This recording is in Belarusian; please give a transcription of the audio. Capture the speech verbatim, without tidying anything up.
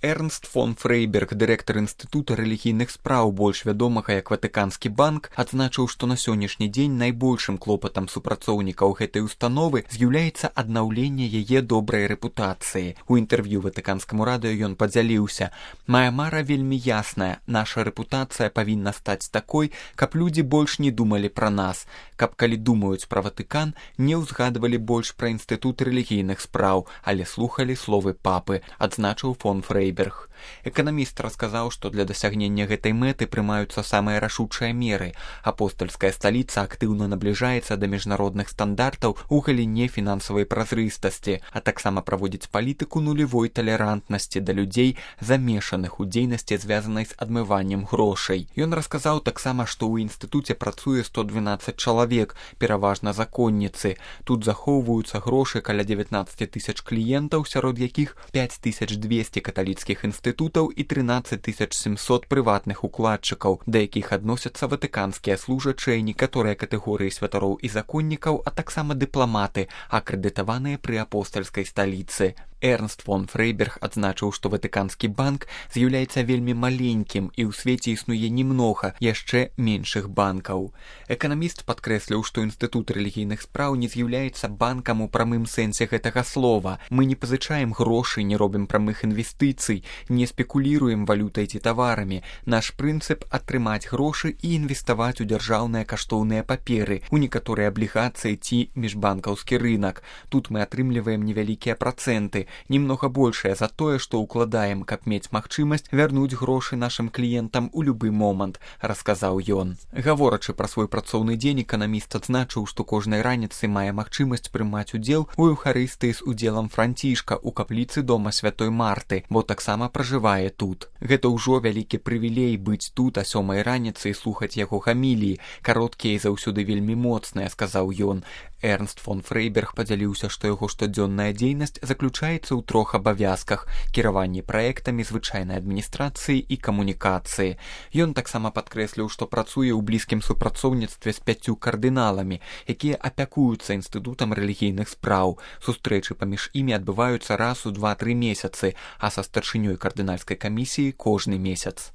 Эрнст фон Фрейберг, дырэктар інстытута рэлігійных спраў, больш вядомага як Ватыканскі банк, адзначыў, што на сённяшні дзень найбольшым клопатам супрацоўнікаў гэтай установы з'яўляецца аднаўленне яе добрай рэпутацыі. У інтэрв'ю Ватыканскаму радыё ён падзяліўся: «Мая мара вельмі ясная, наша рэпутацыя павінна стаць такой, каб людзі больш не думалі пра нас, каб калі думаюць пра Ватыкан, не ўзгадвалі больш пра інстытут рэлігійных спраў, але слухалі словы папы», адзначыў фон Фрейберг. Эканаміст расказаў, што для дасягнення гэтай мэты прымаюцца самыя рашучыя меры. Апостальская сталіца актыўна набліжаецца да міжнародных стандартаў у галіне фінансавай празрыстасці, а таксама праводзіць палітыку нулявой талерантнасці да людзей, замешаных у дзейнасці, звязанай з адмываннем грошай. Ён расказаў таксама, што ў інстытуце працуе сто дванаццаць чалавек, пераважна законніцы. Тут захоўваюцца грошы каля дзевятнаццаць тысяч кліентаў, сярод якіх пяць тысяч дзвесце каталіцкіх інстытутаў і трынаццаць тысяч сямсот прыватных укладчыкаў, да якіх адносяцца ватыканскія служачыя, некаторыя катэгорыі святароў і законнікаў, а таксама дыпламаты, акрэдытаваныя пры апостальскай сталіцы. Эрнст фон Фрейберг адзначыў, што Ватыканскі банк з'яўляецца вельмі маленькім і ў свеце існуе немнога яшчэ меншых банкаў. Эканаміст падкрэсліў, што інстытут рэлігійных спраў не з'яўляецца банкам у прамым сэнсе гэтага слова. Мы не пазычаем грошы, не робім прамых інвестыцый, не спекуліруем валютай ці таварамі. Наш прынцып атрымаць грошы і інвеставаць у дзяржаўныя каштоўныя паперы, у некаторыя аблігацыі ці міжбанкаўскі рынак. Тут мы атрымліваем невялікія працэнты, немнога большая за тое, што ўкладаем, каб мець магчымасць вярнуць грошы нашым кліентам у любы момант, расказаў ён. Гаворачы пра свой працоўны дзень, эканаміст адзначыў, што кожнай раніцы мае магчымасць прымаць удзел у эўхарыстыі з удзелам Францішка ў капліцы дома святой Марты, бо таксама пражывае тут. Гэта ўжо вялікі прывілей быць тут а сёмай раніцы і слухаць яго гаміліі, кароткія і заўсёды вельмі моцныя, сказаў ён. Эрнст фон Фрейберг падзяліўся, што яго штодзённая дзейнасць заключаецца ў трох абавязках: кіраванне праектамі, звычайнай адміністрацыі і камунікацыі. Ён таксама падкрэсліў, што працуе ў блізкім супрацоўніцтве з пяццю кардыналамі, якія апякуюцца інстытутам рэлігійных спраў. Сустрэчы паміж імі адбываюцца раз у два-тры месяцы, а са старшынёй кардынальскай камісіі кожны месяц.